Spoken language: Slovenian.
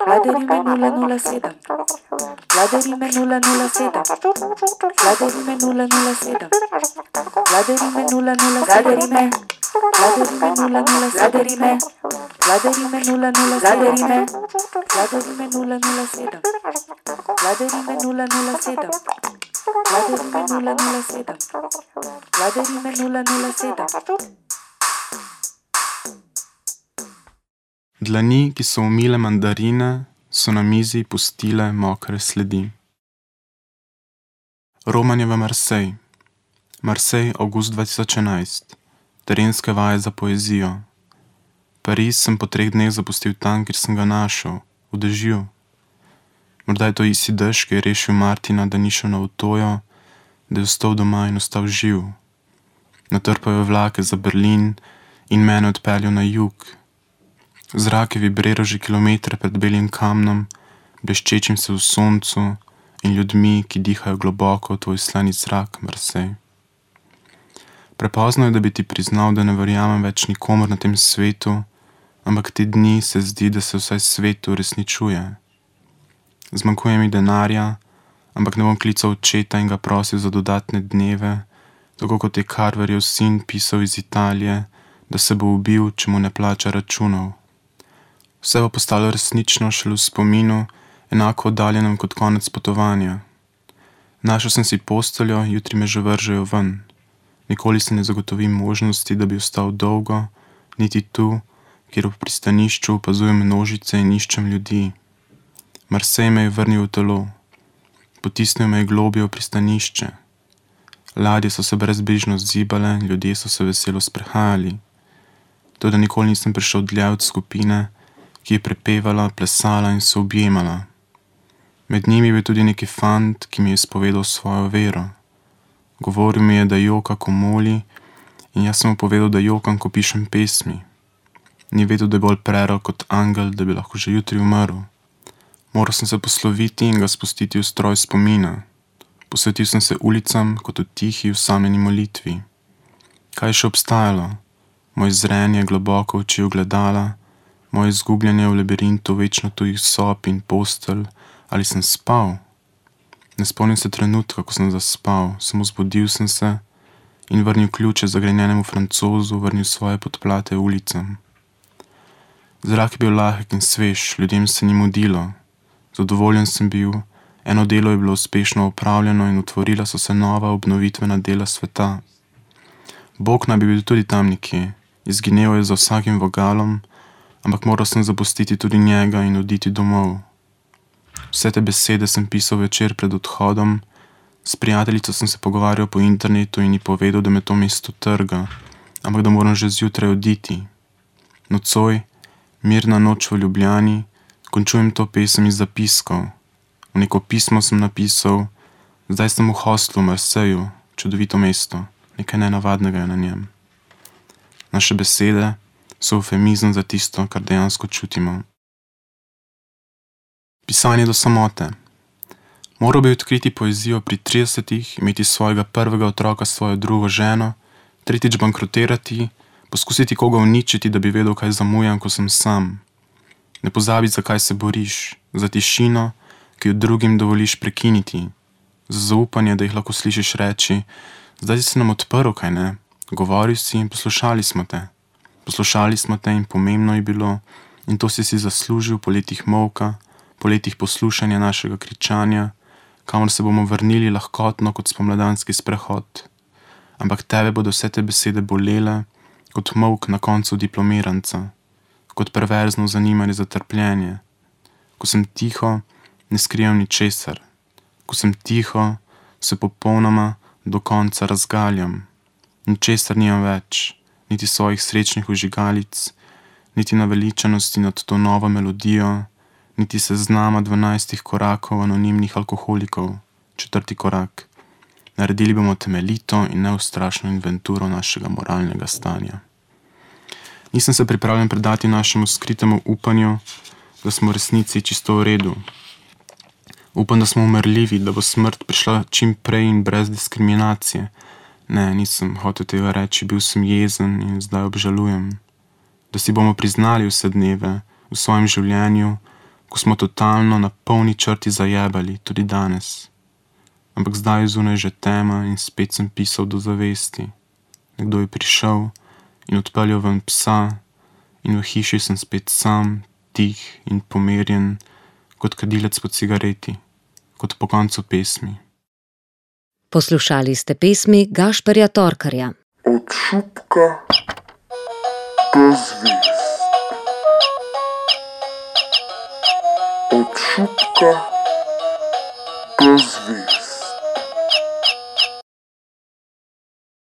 Vladarime 007. Vladarime 007. Vladarime 007. Vladarime 007. Vladarime 007. Vladarime 007. Vladarime 007. Vladarime 007. Vladarime 007. Vladarime 007. Dlani, ki so umile mandarine, so na mizi pustile mokre sledi. Romanje v Marseille. Marseille, avgust 2011. Terenske vaje za poezijo. Pariz sem po 3 dneh zapustil tam, kjer sem ga našel, v dežju. Morda je to isti dež, ki je rešil Martina, da ni šel na avtojo, da je ostal doma in ostal živ. Natrpal je vlake za Berlin in mene odpeljal na jug. Zrak je vibriral že kilometre pred belim kamnom, bleščečim se v soncu in ljudmi, ki dihajo globoko v tvoj slani zrak, Marseille. Prepozno je, da bi ti priznal, da ne verjamem več nikomor na tem svetu, ampak te dni se zdi, da se vsaj svet uresničuje. Zmanjkuje mi denarja, ampak ne bom klical očeta in ga prosil za dodatne dneve, tako kot je Carverjev sin pisal iz Italije, da se bo ubil, če mu ne plača računov. Vse bo postalo resnično šele v spominu, enako oddaljenem kot konec potovanja. Našel sem si posteljo, jutri me že vržejo ven. Nikoli se ne zagotovim možnosti, da bi ostal dolgo, niti tu, kjer v pristanišču opazujem množice in iščem ljudi. Marseille me je vrnil v telo. Potisnil me je globje v pristanišče. Ladje so se brezbrižno zibale, ljudje so se veselo sprehajali. Toda nikoli nisem prišel dlje od skupine, ki je prepevala, plesala in se objemala. Med njimi je bil tudi neki fant, ki mi je izpovedal svojo vero. Govoril mi je, da joka, ko moli, in jaz sem mu povedal, da jokam, ko pišem pesmi. Ni vedel, da je bolj prerok kot angel, da bi lahko že jutri umrl. Moral sem se posloviti in ga spustiti v stroj spomina. Posvetil sem se ulicam kot v tihi, osamljeni molitvi. Kaj je še obstajalo? Moj zrenje globoko v oči ogledala, moje izgubljanje v labirintu večno tujih sob in postelj, ali sem spal? Ne spomnim se trenutka, ko sem zaspal, samo zbudil sem se in vrnil ključe zagrenjenemu Francozu, vrnil svoje podplate ulicam. Zrak je bil lahek in svež, ljudem se ni mudilo. Zadovoljen sem bil, eno delo je bilo uspešno opravljeno in otvorila so se nova obnovitvena dela sveta. Bog naj bi bil tudi tam nekje, izginel je za vsakim vogalom, ampak moral sem zapustiti tudi njega in oditi domov. Vse te besede sem pisal večer pred odhodom, s prijateljico sem se pogovarjal po internetu in ji povedal, da me to mesto trga, ampak da moram že zjutraj oditi. Nocoj, mirna noč v Ljubljani, končujem to pesem iz zapiskov. V neko pismo sem napisal, zdaj sem v hostlu v Marseju, čudovito mesto, nekaj nenavadnega je na njem. Naše besede so eufemizem za tisto, kar dejansko čutimo. Pisanje do samote. Moral bi odkriti poezijo pri 30, imeti svojega prvega otroka s svojo drugo ženo, tretjič bankrotirati, poskusiti koga uničiti, da bi vedel, kaj zamujam, ko sem sam. Ne pozabi, zakaj se boriš, za tišino, ki jo drugim dovoliš prekiniti, za zaupanje, da jih lahko slišiš reči, zdaj si se nam odprl, kaj ne, govoril si in poslušali smo te. Poslušali smo te in pomembno je bilo, in to si zaslužil po letih molka, po letih poslušanja našega kričanja, kamor se bomo vrnili lahkotno kot spomladanski sprehod. Ampak tebe bodo vse te besede bolele, kot molk na koncu diplomiranca, kot perverzno zanimanje za trpljenje. Ko sem tiho, ne skrivam ničesar. Ko sem tiho, se popolnoma do konca razgaljam. Ničesar nimam več, niti svojih srečnih ožigalic, niti naveličanosti nad to novo melodijo, niti seznama 12 korakov anonimnih alkoholikov, 4. korak. Naredili bomo temeljito in neustrašno inventuro našega moralnega stanja. Nisem se pripravljen predati našemu skritemu upanju, da smo v resnici čisto v redu. Upam, da smo umrljivi, da bo smrt prišla čim prej in brez diskriminacije. Ne, nisem hotel tega reči, bil sem jezen in zdaj obžalujem. Da si bomo priznali vse dneve v svojem življenju, ko smo totalno na polni črti zajebali, tudi danes. Ampak zdaj je zunaj že tema in spet sem pisal do zavesti. Nekdo je prišel in odpeljal ven psa in v hiši sem spet sam, tih in pomerjen, kot kadilec po cigareti, kot po koncu pesmi. Poslušali ste pesmi Gašperja Torkarja. Od šupka do zvezd. Od šupka do zvezd.